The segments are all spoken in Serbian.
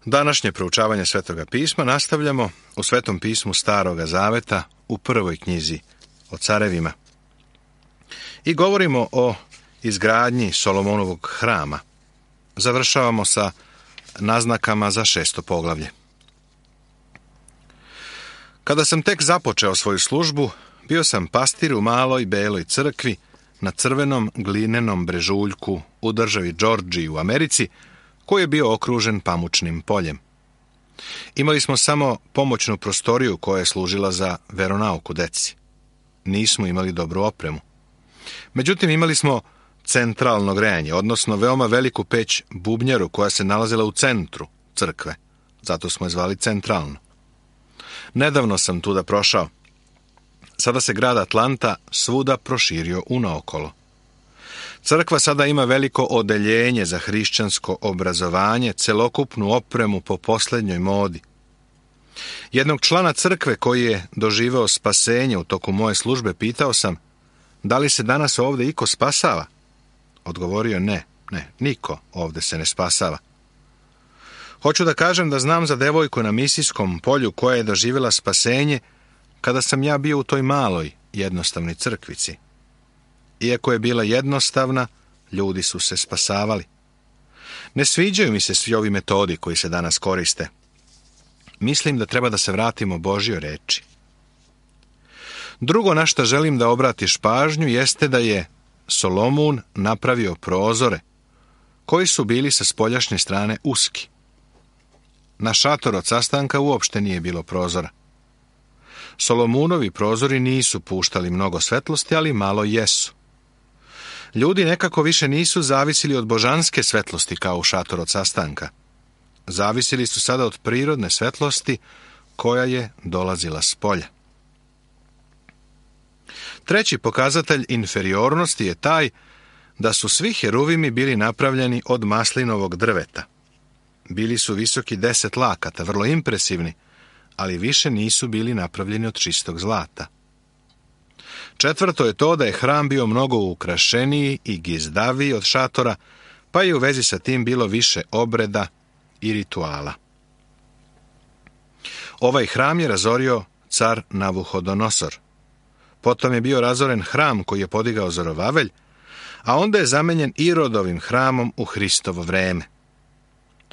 Današnje proučavanje Svetoga pisma nastavljamo u Svetom pismu Staroga Zaveta u prvoj knjizi o carevima. I govorimo o izgradnji Solomonovog hrama. Završavamo sa naznakama za 6. poglavlje. Kada sam tek započeo svoju službu, bio sam pastir u maloj beloj crkvi na crvenom glinenom brežuljku u državi Džordžiji u Americi, koji je bio okružen pamučnim poljem. Imali smo samo pomoćnu prostoriju koja je služila za veronauku deci. Nismo imali dobru opremu. Međutim, imali smo centralno grejanje, odnosno veoma veliku peć bubnjaru koja se nalazila u centru crkve. Zato smo je zvali centralno. Nedavno sam tuda prošao. Sada se grad Atlanta svuda proširio unaokolo. Crkva sada ima veliko odeljenje za hrišćansko obrazovanje, celokupnu opremu po posljednjoj modi. Jednog člana crkve koji je doživeo spasenje u toku moje službe pitao sam, da li se danas ovdje iko spasava? Odgovorio ne, niko ovdje se ne spasava. Hoću da kažem da znam za devojku na misijskom polju koja je doživjela spasenje kada sam ja bio u toj maloj, jednostavnoj crkvici. Iako je bila jednostavna, ljudi su se spasavali. Ne sviđaju mi se svi ovi metodi koji se danas koriste. Mislim da treba da se vratimo Božjoj reči. Drugo na što želim da obratiš pažnju jeste da je Solomon napravio prozore koji su bili sa spoljašnje strane uski. Na šator od sastanka uopšte nije bilo prozora. Solomonovi prozori nisu puštali mnogo svetlosti, ali malo jesu. Ljudi nekako više nisu zavisili od božanske svetlosti kao u šatoru od sastanka. Zavisili su sada od prirodne svetlosti koja je dolazila s polja. Treći pokazatelj inferiornosti je taj da su svi heruvimi bili napravljeni od maslinovog drveta. Bili su visoki 10 lakata, vrlo impresivni, ali više nisu bili napravljeni od čistog zlata. Četvrto je to da je hram bio mnogo ukrašeniji i gizdaviji od šatora, pa je u vezi sa tim bilo više obreda i rituala. Ovaj hram je razorio car Navuhodonosor. Potom je bio razoren hram koji je podigao Zorovavelj, a onda je zamenjen Irodovim hramom u Hristovo vreme.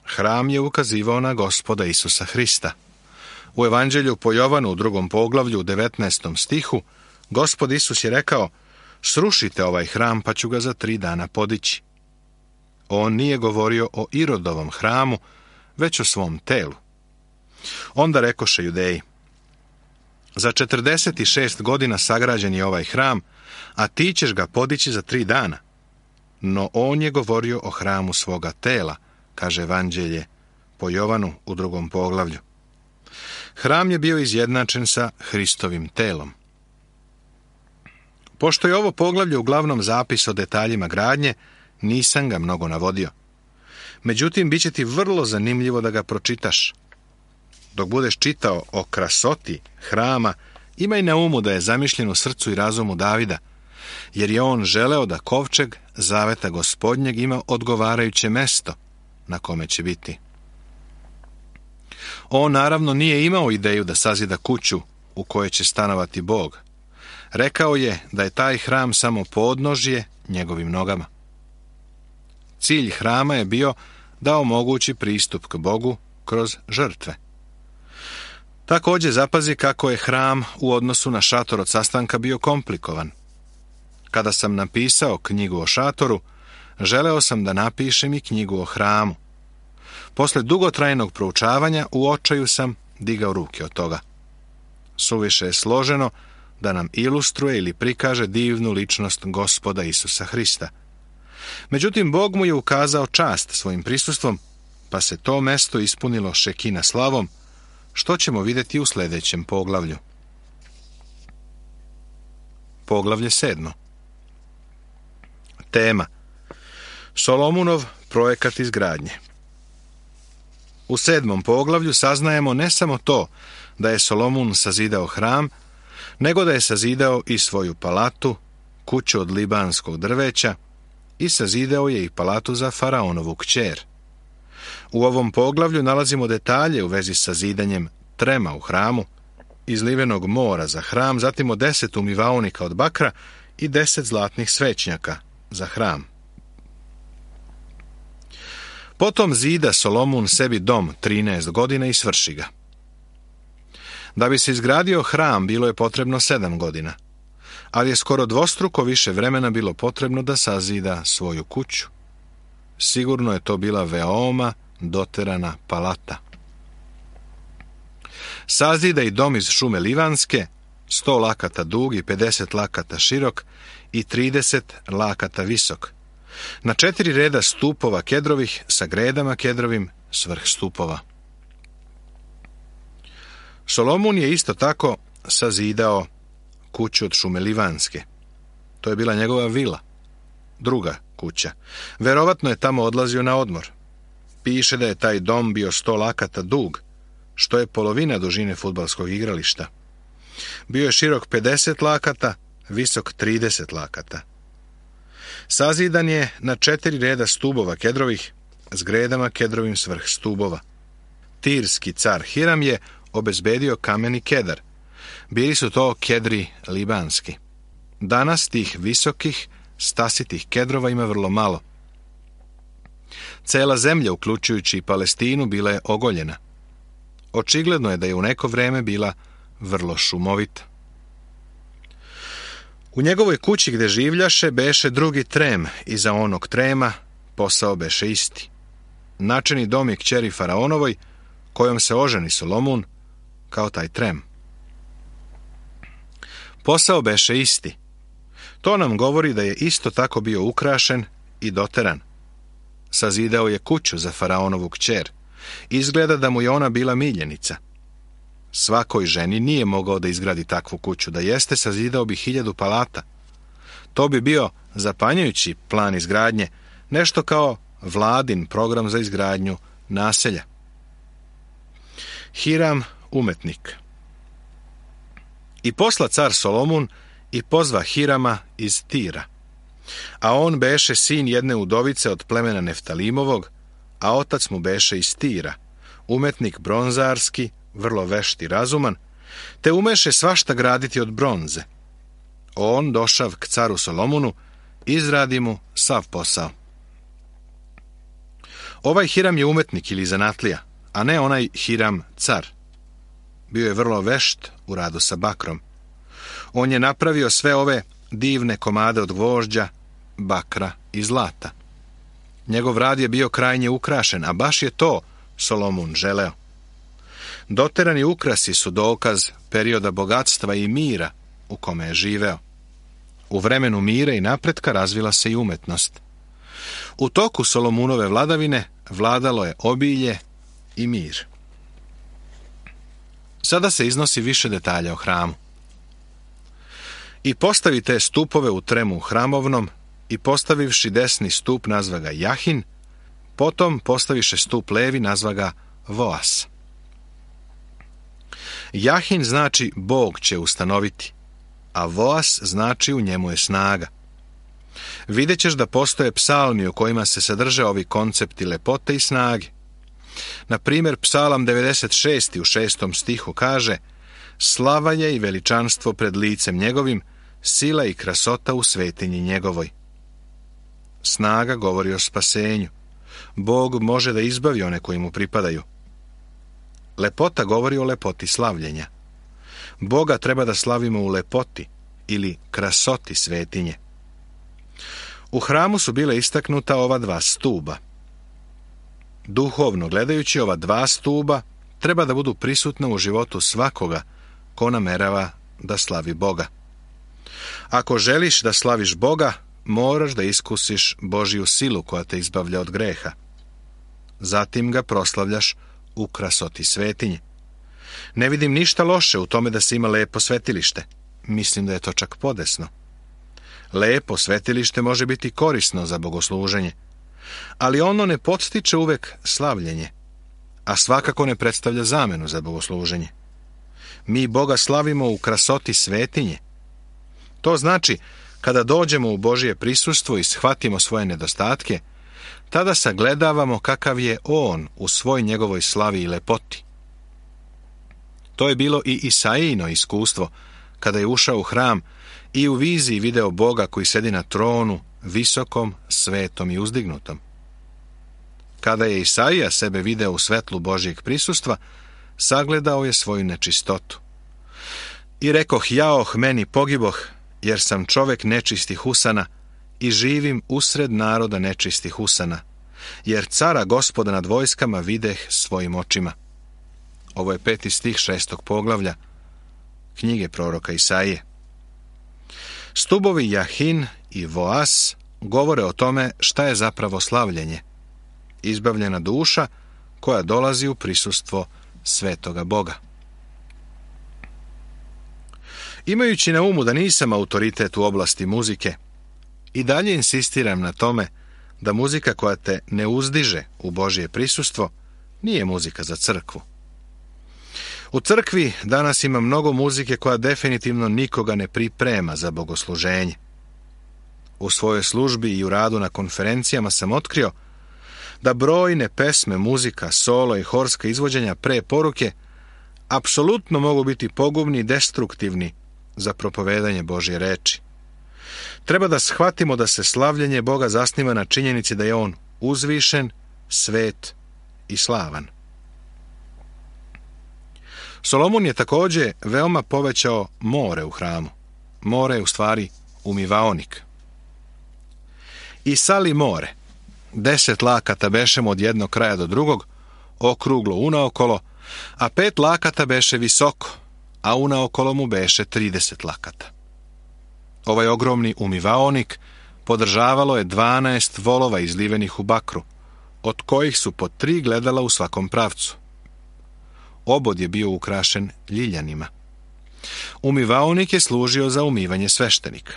Hram je ukazivao na Gospoda Isusa Hrista. U Evanđelju po Jovanu u 2. poglavlju u 19. stihu Gospod Isus je rekao, srušite ovaj hram pa ću ga za 3 dana podići. On nije govorio o Irodovom hramu, već o svom telu. Onda rekoše Judeji, za 46 godina sagrađen je ovaj hram, a ti ćeš ga podići za 3 dana. No on je govorio o hramu svoga tela, kaže Evanđelje po Jovanu u 2. poglavlju. Hram je bio izjednačen sa Hristovim telom. Pošto je ovo poglavlje uglavnom zapis o detaljima gradnje, nisam ga mnogo navodio. Međutim, bit će ti vrlo zanimljivo da ga pročitaš. Dok budeš čitao o krasoti hrama, imaj na umu da je zamišljen u srcu i razumu Davida, jer je on želeo da kovčeg zaveta Gospodnjeg ima odgovarajuće mesto na kome će biti. On naravno nije imao ideju da sazida kuću u kojoj će stanovati Bog. Rekao je da je taj hram samo podnožje njegovim nogama. Cilj hrama je bio da omogući pristup k Bogu kroz žrtve. Također zapazi kako je hram u odnosu na šator od sastanka bio komplikovan. Kada sam napisao knjigu o šatoru, želeo sam da napišem i knjigu o hramu. Posle dugotrajnog proučavanja u očaju sam digao ruke od toga. Suviše je složeno da nam ilustruje ili prikaže divnu ličnost Gospoda Isusa Hrista. Međutim, Bog mu je ukazao čast svojim prisustvom, pa se to mesto ispunilo šekina slavom, što ćemo vidjeti u sljedećem poglavlju. Poglavlje 7. Tema: Solomonov projekat izgradnje. U 7. poglavlju saznajemo ne samo to da je Solomon sazidao hram, nego da je sazidao i svoju palatu, kuću od libanskog drveća, i sazidao je i palatu za faraonovu kćer. U ovom poglavlju nalazimo detalje u vezi sa zidanjem trema u hramu, izlivenog mora za hram, zatim o 10 umivaonika od bakra i 10 zlatnih svećnjaka za hram. Potom zida Solomon sebi dom 13 godina i svrši ga. Da bi se izgradio hram bilo je potrebno 7 godina, ali je skoro dvostruko više vremena bilo potrebno da sazida svoju kuću. Sigurno je to bila veoma doterana palata. Sazida i dom iz šume livanske, 100 lakata dug i 50 lakata širok i 30 lakata visok, na 4 reda stupova kedrovih sa gredama kedrovim svrh stupova. Solomon je isto tako sazidao kuću od šume livanske. To je bila njegova vila, druga kuća. Verovatno je tamo odlazio na odmor. Piše da je taj dom bio 100 lakata dug, što je polovina dužine fudbalskog igrališta. Bio je širok 50 lakata, visok 30 lakata. Sazidan je na 4 reda stubova kedrovih s gredama kedrovim svrh stubova. Tirski car Hiram je obezbedio kameni kedar. Bili su to kedri libanski. Danas tih visokih, stasitih kedrova ima vrlo malo. Cela zemlja, uključujući i Palestinu, bila je ogoljena. Očigledno je da je u neko vreme bila vrlo šumovita. U njegovoj kući gde življaše beše drugi trem i za onog trema posao beše isti. Načini dom je kćeri faraonovoj, kojom se oženi Solomon, kao taj trem. Posao beše isti. To nam govori da je isto tako bio ukrašen i doteran. Sazidao je kuću za faraonovu kćer. Izgleda da mu je ona bila miljenica. Svakoj ženi nije mogao da izgradi takvu kuću, da jeste sazidao bi 1000 palata. To bi bio zapanjujući plan izgradnje, nešto kao vladin program za izgradnju naselja. Hiram, umetnik. I posla car Solomon i pozva Hirama iz Tira. A on beše sin jedne udovice od plemena Neftalimovog, a otac mu beše iz Tira, umetnik bronzarski, vrlo vešt i razuman, te umeše svašta graditi od bronze. On, došav k caru Solomonu, izradi mu sav posao. Ovaj Hiram je umetnik ili zanatlija, a ne onaj Hiram car. Bio je vrlo vešt u radu sa bakrom. On je napravio sve ove divne komade od gvožđa, bakra i zlata. Njegov rad je bio krajnje ukrašen, a baš je to Solomon želeo. Doterani ukrasi su dokaz perioda bogatstva i mira u kome je živeo. U vremenu mira i napretka razvila se i umetnost. U toku Solomunove vladavine vladalo je obilje i mir. Sada se iznosi više detalja o hramu. I postavi te stupove u tremu hramovnom, i postavivši desni stup nazva ga Jahin, potom postaviše stup levi nazva ga Voas. Jahin znači Bog će ustanoviti, a Voas znači u njemu je snaga. Vidjet ćeš da postoje psalmi u kojima se sadrže ovi koncepti lepote i snage. Na primjer, psalam 96. u 6. stihu kaže: slava je i veličanstvo pred licem njegovim, sila i krasota u svetinji njegovoj. Snaga govori o spasenju. Bog može da izbavi one koji mu pripadaju. Lepota govori o lepoti slavljenja. Boga treba da slavimo u lepoti ili krasoti svetinje. U hramu su bile istaknuta ova 2 stuba. Duhovno gledajući, ova 2 stuba treba da budu prisutna u životu svakoga ko namerava da slavi Boga. Ako želiš da slaviš Boga, moraš da iskusiš Božju silu koja te izbavlja od greha. Zatim ga proslavljaš u krasoti svetinje. Ne vidim ništa loše u tome da se ima lepo svetilište. Mislim da je to čak podesno. Lepo svetilište može biti korisno za bogosluženje, ali ono ne podstiče uvek slavljenje, a svakako ne predstavlja zamenu za bogosluženje. Mi Boga slavimo u krasoti svetinje. To znači, kada dođemo u Božje prisustvo i shvatimo svoje nedostatke, tada sagledavamo kakav je on u svoj njegovoj slavi i lepoti. To je bilo i Isaijino iskustvo, kada je ušao u hram i u viziji video Boga koji sedi na tronu, visokom, svetom i uzdignutom. Kada je Isaija sebe video u svetlu Božjeg prisustva, sagledao je svoju nečistotu. I rekoh, jaoh, meni pogiboh, jer sam čovek nečistih usana i živim usred naroda nečistih usana, jer cara Gospoda nad vojskama videh svojim očima. Ovo je 5. stih 6. poglavlja knjige proroka Isaije. Stubovi Jahin i Voas govore o tome šta je zapravo slavljenje. Izbavljena duša koja dolazi u prisustvo svetoga Boga. Imajući na umu da nisam autoritet u oblasti muzike, i dalje insistiram na tome da muzika koja te ne uzdiže u Božje prisustvo nije muzika za crkvu. U crkvi danas ima mnogo muzike koja definitivno nikoga ne priprema za bogosluženje. U svojoj službi i u radu na konferencijama sam otkrio da brojne pesme, muzika, solo i horska izvođenja pre poruke apsolutno mogu biti pogubni i destruktivni za propovedanje Božje reči. Treba da shvatimo da se slavljenje Boga zasniva na činjenici da je on uzvišen, svet i slavan. Solomon je također veoma povećao more u hramu. More je u stvari umivaonik. I sali more. 10 lakata bešemo od jednog kraja do drugog, okruglo unaokolo, a 5 lakata beše visoko, a unaokolo mu beše 30 lakata. Ovaj ogromni umivaonik podržavalo je 12 volova izlivenih u bakru, od kojih su po 3 gledala u svakom pravcu. Obod je bio ukrašen ljiljanima. Umivaonik je služio za umivanje sveštenika.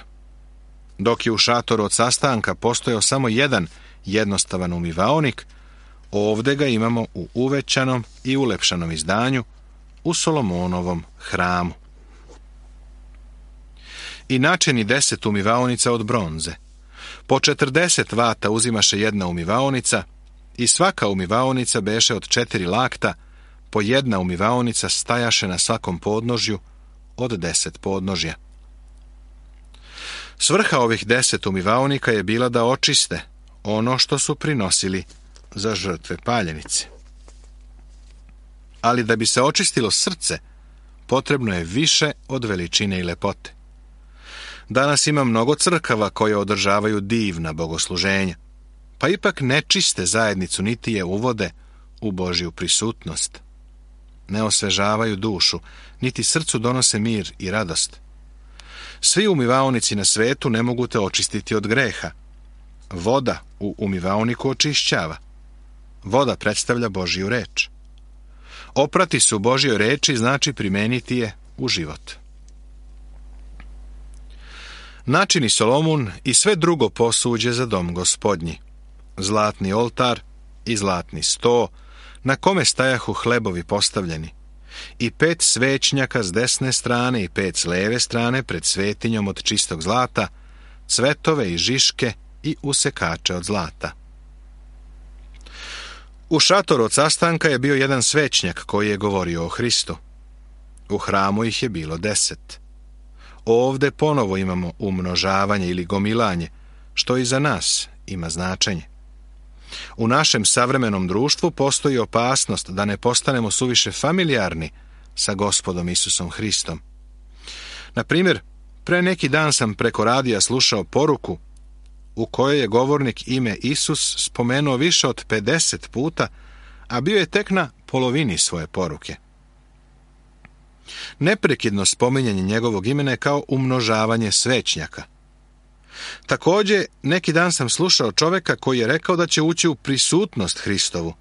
Dok je u šatoru od sastanka postojao samo jedan jednostavan umivaonik, ovdje ga imamo u uvećanom i ulepšanom izdanju u Solomonovom hramu. I načini 10 umivaonica od bronze. Po 40 vata uzimaše jedna umivaonica i svaka umivaonica beše od 4 lakta, po jedna umivaonica stajaše na svakom podnožju od 10 podnožja. Svrha ovih 10 umivaonika je bila da očiste ono što su prinosili za žrtve paljenice. Ali da bi se očistilo srce, potrebno je više od veličine i lepote. Danas ima mnogo crkava koje održavaju divna bogosluženja, pa ipak ne čiste zajednicu niti je uvode u Božju prisutnost. Ne osvežavaju dušu, niti srcu donose mir i radost. Svi umivaonici na svetu ne mogu te očistiti od greha. Voda u umivaoniku očišćava. Voda predstavlja Božju reč. Oprati se u Božjoj reči znači primeniti je u život. Načini Solomon i sve drugo posuđe za dom Gospodnji. Zlatni oltar i zlatni sto, na kome stajahu hlebovi postavljeni, i 5 svećnjaka s desne strane i 5 s leve strane pred svetinjom od čistog zlata, cvetove i žiške i usekače od zlata. U šatoru od sastanka je bio jedan svećnjak koji je govorio o Hristu. U hramu ih je bilo 10. Ovde ponovo imamo umnožavanje ili gomilanje, što i za nas ima značenje. U našem savremenom društvu postoji opasnost da ne postanemo suviše familijarni sa Gospodom Isusom Hristom. Na primjer, pre neki dan sam preko radija slušao poruku u kojoj je govornik ime Isus spomenuo više od 50 puta, a bio je tek na polovini svoje poruke. Neprekidno spominjanje njegovog imena je kao umnožavanje svećnjaka. Također, neki dan sam slušao čovjeka koji je rekao da će ući u prisutnost Hristovu,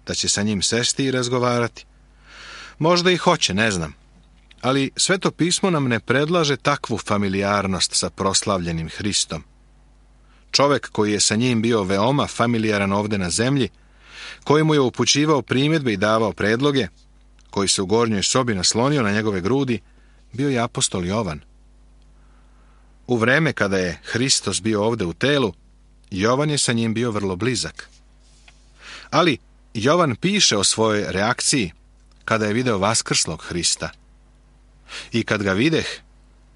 da će sa njim sesti i razgovarati. Možda i hoće, ne znam. Ali Sveto pismo nam ne predlaže takvu familijarnost sa proslavljenim Hristom. Čovjek koji je sa njim bio veoma familijaran ovdje na zemlji, koji mu je upućivao primjedbe i davao predloge, koji se u gornjoj sobi naslonio na njegove grudi, bio je apostol Jovan. U vreme kada je Hristos bio ovdje u telu, Jovan je sa njim bio vrlo blizak. Ali Jovan piše o svojoj reakciji kada je video vaskrslog Hrista. I kad ga videh,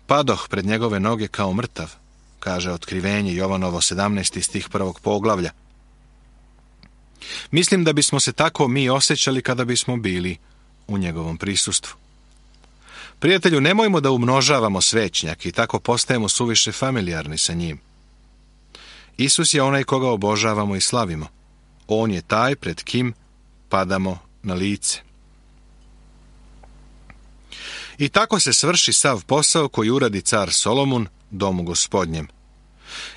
padoh pred njegove noge kao mrtav, kaže Otkrivenje Jovanovo 17. stih 1. poglavlja. Mislim da bismo se tako mi osjećali kada bismo bili u njegovom prisustvu. Prijatelju, nemojmo da umnožavamo svećnjak i tako postajemo suviše familijarni sa njim. Isus je onaj koga obožavamo i slavimo. On je taj pred kim padamo na lice. I tako se svrši sav posao koji uradi car Solomon domu Gospodnjem.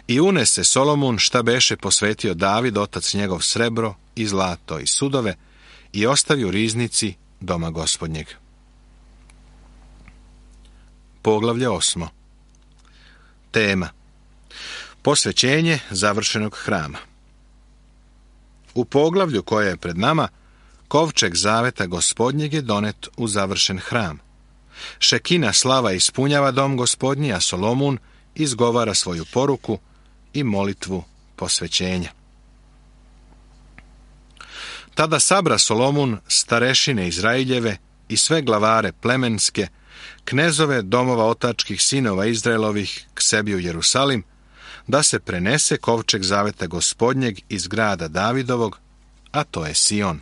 I unese Solomon šta beše posvetio David, otac njegov, srebro i zlato i sudove, i ostavi u riznici doma Gospodnjeg. Poglavlje 8. Tema: posvećenje završenog hrama. U poglavlju koje je pred nama, kovčeg zaveta Gospodnjeg je donet u završen hram. Šekina slava ispunjava dom Gospodnji, a Solomon izgovara svoju poruku i molitvu posvećenja. Tada sabra Solomon starešine Izraeljeve i sve glavare plemenske, knezove domova otačkih sinova Izraelovih k sebi u Jerusalim, da se prenese kovčeg zaveta Gospodnjeg iz grada Davidovog, a to je Sion.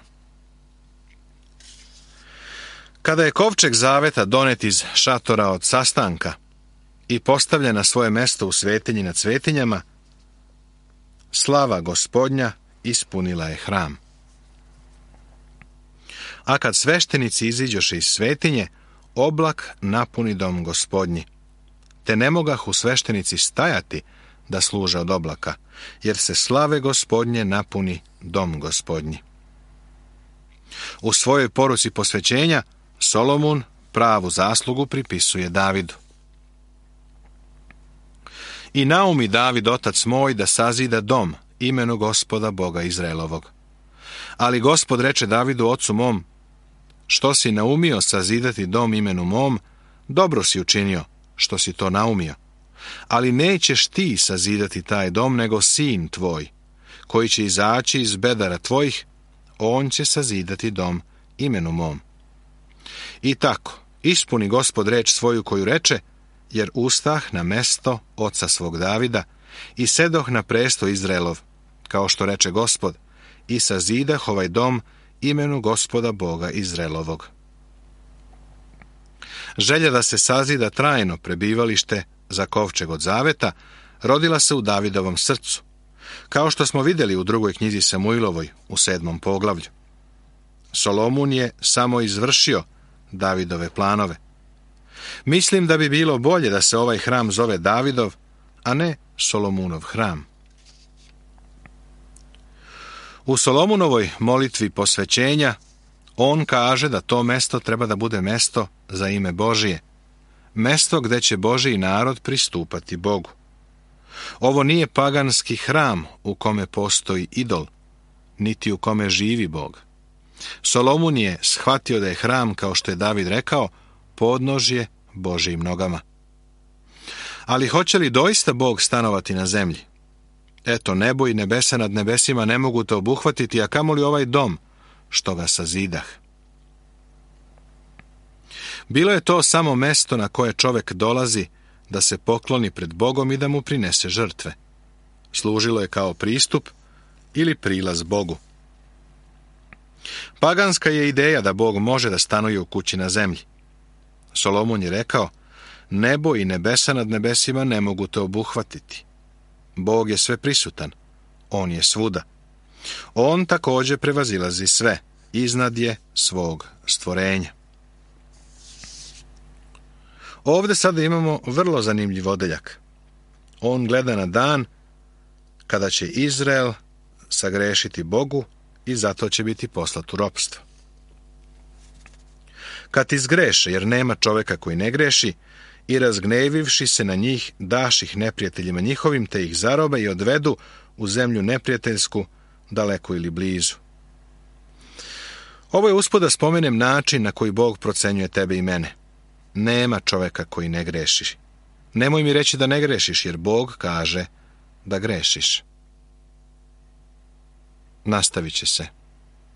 Kada je kovčeg zaveta donet iz šatora od sastanka i postavljen na svoje mesto u svetinji nad svetinjama, slava Gospodnja ispunila je hram. A kad sveštenici iziđoše iz svetinje, oblak napuni dom Gospodnji, te ne mogahu sveštenici stajati da služe od oblaka, jer se slave Gospodnje napuni dom Gospodnji. U svojoj poruci posvećenja Solomon pravu zaslugu pripisuje Davidu. I naumi David, otac moj, da sazida dom imenu Gospoda Boga Izraelovog. Ali Gospod reče Davidu, ocu mom, što si naumio sazidati dom imenu mom, dobro si učinio, što si to naumio. Ali nećeš ti sazidati taj dom, nego sin tvoj, koji će izaći iz bedara tvojih, on će sazidati dom imenu mom. I tako, ispuni Gospod reč svoju koju reče, jer ustah na mesto oca svog Davida i sedoh na presto Izraelov, kao što reče Gospod, i sazidah ovaj dom imenu Gospoda Boga Izraelovog. Želja da se sazida trajno prebivalište za kovčeg od zaveta rodila se u Davidovom srcu, kao što smo vidjeli u 2. knjizi Samuilovoj u 7. poglavlju. Solomon je samo izvršio Davidove planove. Mislim da bi bilo bolje da se ovaj hram zove Davidov, a ne Solomunov hram. U Solomunovoj molitvi posvećenja on kaže da to mesto treba da bude mesto za ime Božije, mesto gde će Božiji narod pristupati Bogu. Ovo nije paganski hram u kome postoji idol, niti u kome živi Bog. Solomon je shvatio da je hram, kao što je David rekao, podnožje Božijim nogama. Ali hoće li doista Bog stanovati na zemlji? Eto, nebo i nebesa nad nebesima ne mogu to obuhvatiti, a kamoli ovaj dom, što ga sazidah. Bilo je to samo mesto na koje čovjek dolazi da se pokloni pred Bogom i da mu prinese žrtve. Služilo je kao pristup ili prilaz Bogu. Paganska je ideja da Bog može da stanuje u kući na zemlji. Solomon je rekao, nebo i nebesa nad nebesima ne mogu to obuhvatiti. Bog je sve prisutan, on je svuda. On također prevazilazi sve, iznad je svog stvorenja. Ovdje sada imamo vrlo zanimljiv odeljak. On gleda na dan kada će Izrael sagrešiti Bogu i zato će biti poslat u ropstvo. Kad izgreše, jer nema čovjeka koji ne greši, i razgnevivši se na njih, daš ih neprijateljima njihovim, te ih zarobe i odvedu u zemlju neprijateljsku, daleko ili blizu. Ovo je usput da spomenem način na koji Bog procenjuje tebe i mene. Nema čovjeka koji ne greši. Nemoj mi reći da ne grešiš, jer Bog kaže da grešiš. Nastavit će se.